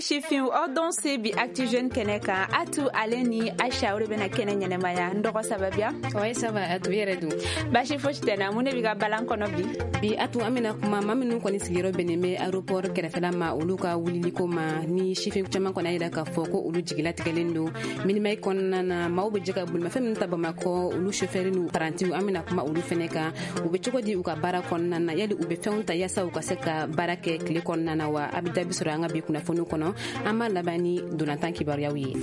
Kati sifinw, aw dɔn se bi Actu Jeune kɛnɛ kan. Atu ale ni Aisha, o de bɛna kɛnɛ ɲɛnɛmaya. N dɔgɔ, ça va bien? Ouais, ça va Atu, yɛrɛ dun? Basi fosi tɛ na. Mun de b'i ka balan kɔnɔ bi? Bi Atu, an bɛna kuma maa minnu kɔni sigiyɔrɔ bɛnnen bɛ aéroport kɛrɛfɛla ma, olu ka wuliliko ma. Ni sifin caman kɔni y'a yira k'a fɔ ko olu jigilatigɛlen don. Minimag kɔnɔna na, maaw bɛ jɛ ka bolimafɛn minnu ta Bamakɔ, olu chauffeur n'u parantiw, an bɛna kuma olu fɛnɛ kan. U bɛ cogo di u ka baara kɔnɔna na? Yali u bɛ fɛnw ta yaasa u ka se ka baara kɛ tile kɔnɔna na wa? A bɛ jaabi sɔrɔ an ka bi kunnafoniw kɔnɔ. An b'a laban ni dolantan kibaruyaw ye.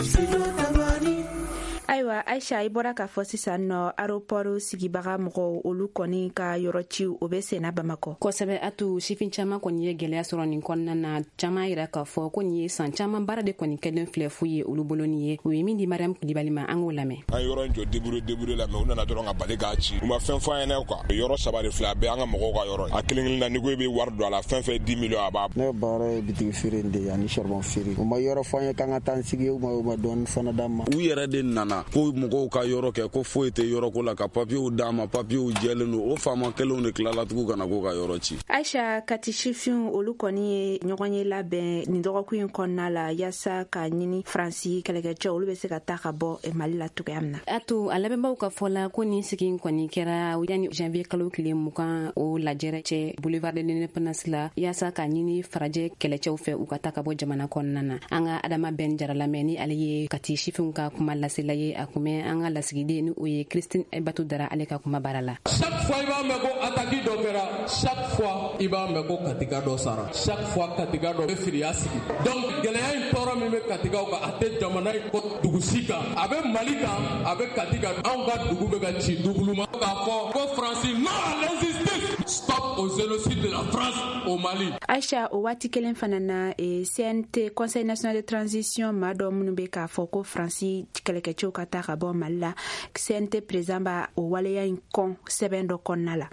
Ayiwa Aisha, i bɔra k'a fɔ sisan nɔ, aéroport sigibaga mɔgɔw, olu kɔni ka yɔrɔ ciw, o bɛ senna Bamakɔ. Kosɛbɛ Atu, sifin caman kɔni ye gwɛlɛya sɔrɔ nin kɔnɔna na. Caman yira k'a fɔ ko nin ye san caman baara de kɔni kɛlen filɛ fu ye olu bolo. Nin ye u ye min di Mariam Kulibali ma, an k'o lamɛn. An yɔrɔ in jɔ débrouiller débrouiller la, mais u nana dɔrɔn ka bali k'a ci. U ma fɛn fɔ an ɲɛna quoi. Yɔrɔ saba de filɛ, a bɛɛ an ka mɔgɔw ka yɔrɔ. A kelen kelen na, n'i ko i bɛ wari don a la, fɛn fɛn 10 millions, a b'a. Ne ka baara ye bitigi feere de ye ani charbon feere. U ma yɔrɔ fɔ an ye k'an ka taa an sigi, u ma dɔɔni fana d'an ma. U yɛrɛ de nana ko mɔgɔw ka yɔrɔ kɛ, ko foyi tɛ yɔrɔ ko la, ka papiyew d'a ma, papiyew jɛlen don. O faama kelenw de tilala tugun ka na k'u ka yɔrɔ ci. Aisha, Kati sifinw, olu kɔni ye ɲɔgɔn ye labɛn nin dɔgɔkun in kɔnɔna la yaasa ka ɲini Faransi kɛlɛkɛcɛw, olu bɛ se ka taa ka bɔ Mali la cogoya min na. A to a labɛnbaw ka fɔ la ko nin sigi kɔni kɛra yanni janvier kalo tile 20 o lajɛrɛ cɛ boulevard de l'Indépendance la, yaasa ka ɲini farajɛ kɛlɛcɛw fɛ, u ka taa ka bɔ jamana kɔnɔna na. An ka Adama Bɛn Jara lamɛn, ni ale ye Kati sifinw ka kuma lasela ye. A kun bɛ an ka lasigiden, ni o ye Christine Batu Dara, ale ka kuma baara la. Chaque fois i b'a mɛn ko attaque dɔ kɛra, chaque fois i b'a mɛn ko Katika dɔ sara, chaque fois Katika dɔ bɛ firiya sigi. Donc gɛlɛya in, tɔɔrɔ min bɛ Katikaw kan, a tɛ jamana in kɔ dugu si kan, a bɛ Mali kan, a bɛ Kati kan. Anw ka dugu bɛ ka ci doublement k'a fɔ ko Faransi, non à l'injustice, stop au génocide de la France au Mali. Aisha, o waati kelen fana na, CNT, Conseil national de transition, maa dɔ minnu bɛ k'a fɔ ko Faransi kɛlɛkɛcɛw ka taa ka bɔ Mali la, CNT président b'a o waleya in kɔn sɛbɛn dɔ kɔnɔna la.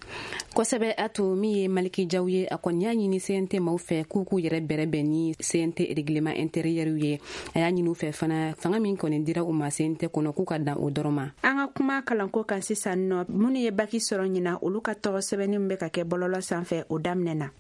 Kosɛbɛ a to min ye Maliki Jaw ye, a kɔni y'a ɲini CNT maaw fɛ k'u k'u yɛrɛ bɛrɛbɛn ni CNT règlement intérieur ye. A y'a ɲini u fɛ fana, fanga min kɔni dira u ma CNT kɔnɔ, k'u ka dan o dɔrɔn ma. An ka kuma kalanko kan sisan nɔ. Minnu ye baki sɔrɔ ɲina, olu ka tɔgɔ sɛbɛnni min bɛ ka kɛ bɔlɔlɔ sanfɛ, o daminɛna.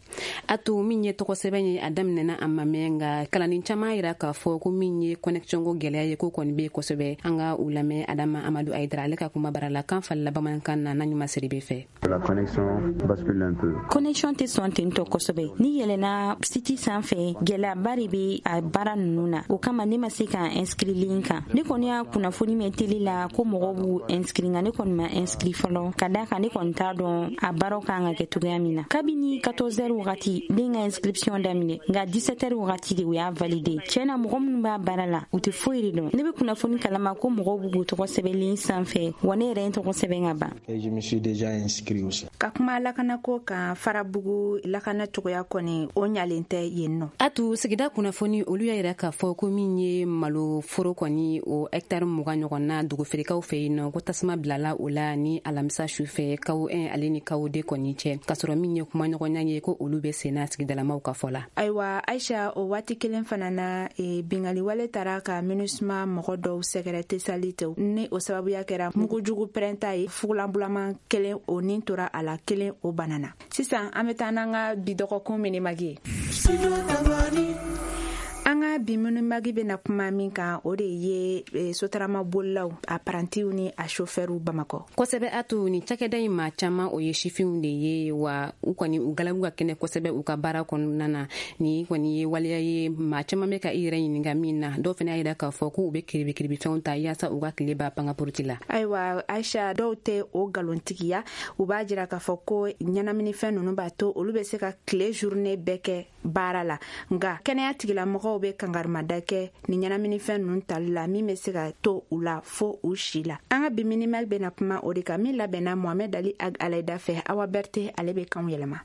A to min ye tɔgɔ sɛbɛn ye, a daminɛna, a ma mɛn, nka kalanden caman yira k'a fɔ ko min ye connexion ko gwɛlɛya ye, ko kɔni bɛ kosɛbɛ. An ka u lamɛn Adama Amadu Ayidara, ale ka kuma bara la, kan falila bamanankan na n'a ɲuman Siribe fɛ. La connexion bascule un peu. Connexion tɛ sɔn ten tɔ kosɛbɛ. Ni yɛlɛnna site sanfɛ, gɛlɛyaba de bɛ a baara ninnu na. O kama ne ma se ka inscrit ligne kan. Ne kɔni y'a kunnafoni mɛn télé la ko mɔgɔw b'u inscrit, nka ne kɔni ma inscrit fɔlɔ, ka da kan ne kɔni t'a dɔn a baaraw kan ka kɛ cogoya min na. Kabini 14 heures wagati den ka inscription daminɛ, nka 17 heures wagati de u y'a validé. Tiɲɛ na, mɔgɔ minnu b'a baara la, u tɛ foyi de dɔn. Ne bɛ kunnafoni kalama ko mɔgɔw b'u tɔgɔ sɛbɛn ligne sanfɛ, wa ne yɛrɛ ye n tɔgɔ sɛbɛn ka ban. Et je me suis déjà inscrit aussi. Ka kuma lakanako kan, Farabugu lakana cogoya kɔni, o ɲalen tɛ yen nɔ. A to sigida kunnafoni, olu y'a yira k'a fɔ ko min ye malo foro kɔni, o hɛktare 20 ɲɔgɔn na dugufeerekaw fɛ yen nɔ, ko tasuma bilala o la ni alamisa su fɛ, kawo 1 ale ni kawo 2 kɔni cɛ, k'a sɔrɔ min ye kumaɲɔgɔnya ye, ko olu bɛ senna sigidalamaw ka fɔ la. Ayiwa Aisha, o waati kelen fana na, bingali wale taara ka MINUSMA mɔgɔ dɔw sɛgɛrɛ Tesalite, ni o sababuya kɛra mugujugu pɛrɛnta ye. Fugulanbulama kelen, o nin tora a la, kelen o banana. Sisan an bɛ taa n'an ka bi dɔgɔkun minimag ye. An ka bi minimag bɛna kuma min kan, o de ye sotarama bolilaw, a parantiw ni a sofɛriw Bamakɔ. Kosɛbɛ a to nin cakɛda in maa caman, o ye sifinw de ye wa. U kɔni u galabu ka kɛnɛ kosɛbɛ u ka baara kɔnɔna na. Ni kɔni ye waleya ye, maa caman bɛ ka i yɛrɛ ɲininka min na. Dɔw fana y'a yira k'a fɔ k'u bɛ kiribikiribifɛnw ta yaasa u ka tile ba pankapuruti la. Ayiwa Aisha, dɔw tɛ o nkalontigiya. U b'a jira k'a fɔ ko ɲɛnaminifɛn ninnu b'a to olu bɛ se ka tile journée bɛɛ kɛ baara la, nka kɛnɛya tigilamɔgɔw bɛ kangarimada kɛ ni ɲɛnaminifɛn ninnu tali la, min bɛ se ka to u la fo u si la. An ka bi minimag bɛna kuma o de kan, min labɛnna Mohamɛd Ali Ag Alayida fɛ. Awa Bɛrite, ale bɛ kanw yɛlɛma.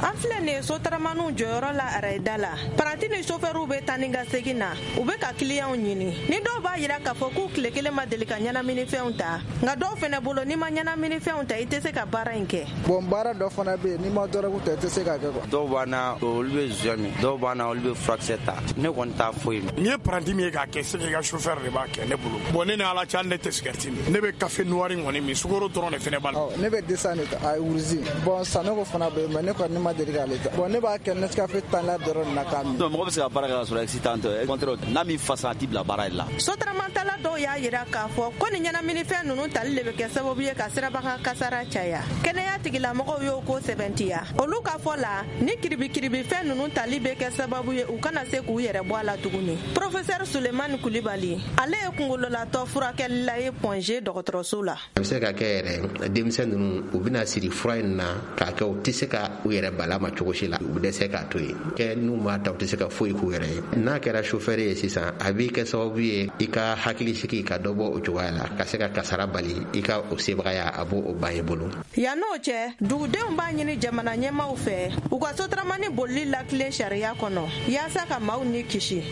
An filɛ nin ye sotaramaniw jɔyɔrɔ la arayida la. Paranti ni sofɛriw bɛ taa ni ka segin na, u bɛ ka kiliyanw ɲini. Ni dɔw b'a yira k'a fɔ k'u tile kelen ma deli ka ɲɛnaminifɛnw ta, nka dɔw fɛnɛ bolo, n'i ma ɲɛnaminifɛnw ta, i tɛ se ka baara in kɛ. Bon, baara dɔ fana bɛ yen, n'i ma dɔrɔgu ta, i tɛ se k'a kɛ quoi. Dɔw b'an na, olu bɛ joint min, dɔw b'an na, olu bɛ furakisɛ ta. Ne kɔni t'a foyi min. N'i ye paranti min ye k'a kɛ, c'est que i ka chauffeur de b'a kɛ. Ne bolo, bon, ne ni Ala cɛ, hali ne tɛ sigɛriti min, ne bɛ café noir kɔni min, sukaro dɔrɔn de fɛnɛ b'a la. Ne bɛ dessin de ta, a rouge. Bon, Sanogo fana bɛ yen, mais ne kɔni ne ma. ma deli k'ale ta. Bon, ne b'a kɛ Nescafé tan la dɔrɔn na k'a min. Non, mɔgɔ bɛ se ka baara kɛ ka sɔrɔ excitant tɛ. Au contraire, n'a m'i fasa, a t'i bila baara de la. Sotramatala dɔw y'a yira k'a fɔ ko ni ɲɛnaminifɛn ninnu tali de bɛ kɛ sababu ye ka sirabakan kasara caya. Kɛnɛya tigilamɔgɔw y'o ko sɛbɛntiya. Olu ka fɔ la, ni kiribikiribifɛn ninnu tali bɛ kɛ sababu ye u kana se k'u yɛrɛ bɔ a la tuguni. Professeur Sulemani Kulibali, ale ye kungololatɔ furakɛlila ye Point G dɔgɔtɔrɔso la. A bɛ se ka kɛ yɛrɛ, denmisɛn ninnu, u bɛna siri fura in na k'a kɛ u tɛ se ka u yɛrɛ bala ma cogo si la, u bɛ dɛsɛ k'a to yen. Kɛ n'u m'a ta, u tɛ se ka foyi k'u yɛrɛ ye. N'a kɛra chauffeur ye sisan, a b'i kɛ sababu ye i ka hakili sigi ka dɔ bɔ o cogoya la, ka se ka kasara bali, i ka o sebagaya, a b'o ban i bolo. Yan n'o cɛ, dugudenw b'a ɲini jamana ɲɛmaaw fɛ u ka sotaramani bolili lakilen sariya kɔnɔ yaasa ka maaw ni kisi.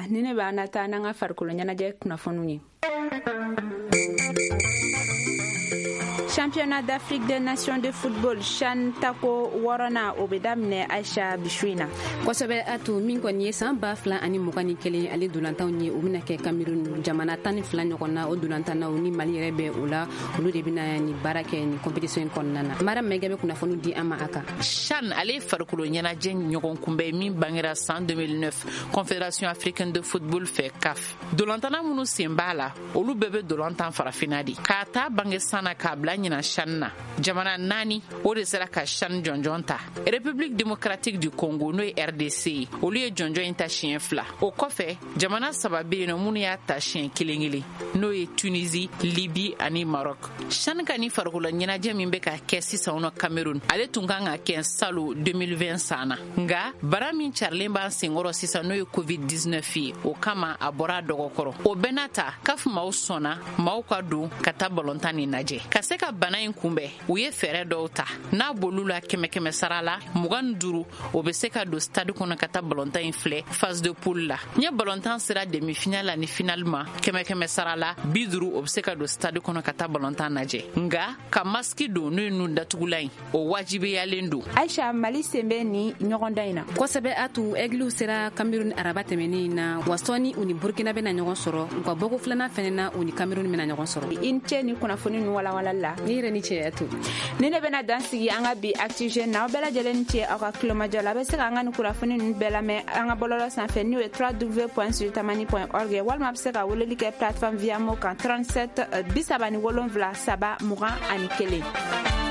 Ni ne b'an na taa n'an ka farikolo ɲɛnajɛ kunnafoniw ye. Championnat d'Afrique des Nations de football, CHAN tako 6nan, o bɛ daminɛ, Aisha, bi su in na. Kosɛbɛ Atu. Min kɔni ye san 2021 ale dolantanw ye, o bɛna kɛ Cameroun. Jamana 12 ɲɔgɔn na, o dolantannaw ni Mali yɛrɛ bɛ o la, olu de bɛna nin baara kɛ nin compétition in kɔnɔna na. Mara Mɛgɛ bɛ kunnafoni di an ma a kan. CHAN, ale ye farikolo ɲɛnajɛ ɲɔgɔn kunbɛn min bangera san 2009 Confédération africaine de football fɛ, CAF. Dolantanna minnu sen b'a la, olu bɛɛ bɛ dolantan farafinna de. K'a ta bange san na k'a bila ɲinan CHAN na, jamana naani o de sera ka CHAN jɔnjɔn ta. République démocratique du Congo, n'o ye RDC ye, olu ye jɔnjɔn in ta siɲɛ fila. O kɔfɛ, jamana saba bɛ yen nɔ minnu y'a ta siɲɛ kelen kelen, n'o ye Tunisie, Libye ani Maroc. CHAN ka ni farikolo ɲɛnajɛ min bɛ ka kɛ sisan nɔ Cameroun, ale tun kan ka kɛ salon 2020 san na, nka bara min carilen b'an senkɔrɔ sisan, n'o ye COVID-19 ye, o kama a bɔra a dɔgɔkɔrɔ. O bɛɛ n'a ta, CAF maaw sɔnna maaw ka don ka taa balontan nin lajɛ. Ka se ka bana in kunbɛn, u ye fɛɛrɛ dɔw ta n'a b'olu la: kɛmɛ kɛmɛ sara la 25, o bɛ se ka don stade kɔnɔ ka taa balontan in filɛ phase de poule la. N ye balontan sera demi finale ani finale ma, kɛmɛ kɛmɛ sara la 50, o bɛ se ka don stade kɔnɔ ka taa balontan lajɛ, nka ka masque don, n'o ye nun datugulan ye, o wajibiyalen don. Aisha, Mali sen bɛ nin ɲɔgɔndan in na. Kosɛbɛ Atu. Aigles sera Cameroun araba tɛmɛnen in na. Wa sɔɔni, u ni Burkina bɛna ɲɔgɔn sɔrɔ. U ka bɔko filanan fɛnɛ na, u ni Cameroun bɛna ɲɔgɔn sɔrɔ. I ni ce ni kunnafoni ninnu walawalali la. Ni yɛrɛ ni ce, Atu. Ni ne bɛna dan sigi an ka bi Actu Jeunes na. Aw bɛɛ lajɛlen ni ce aw ka kulomajɔ la. A bɛ se ka an ka nin kunnafoni ninnu bɛɛ lamɛn an ka bɔlɔlɔ sanfɛ, n'o ye www.tamani.org, walima a bɛ se ka weleli kɛ plateforme Viamo kan 37 37 3 21.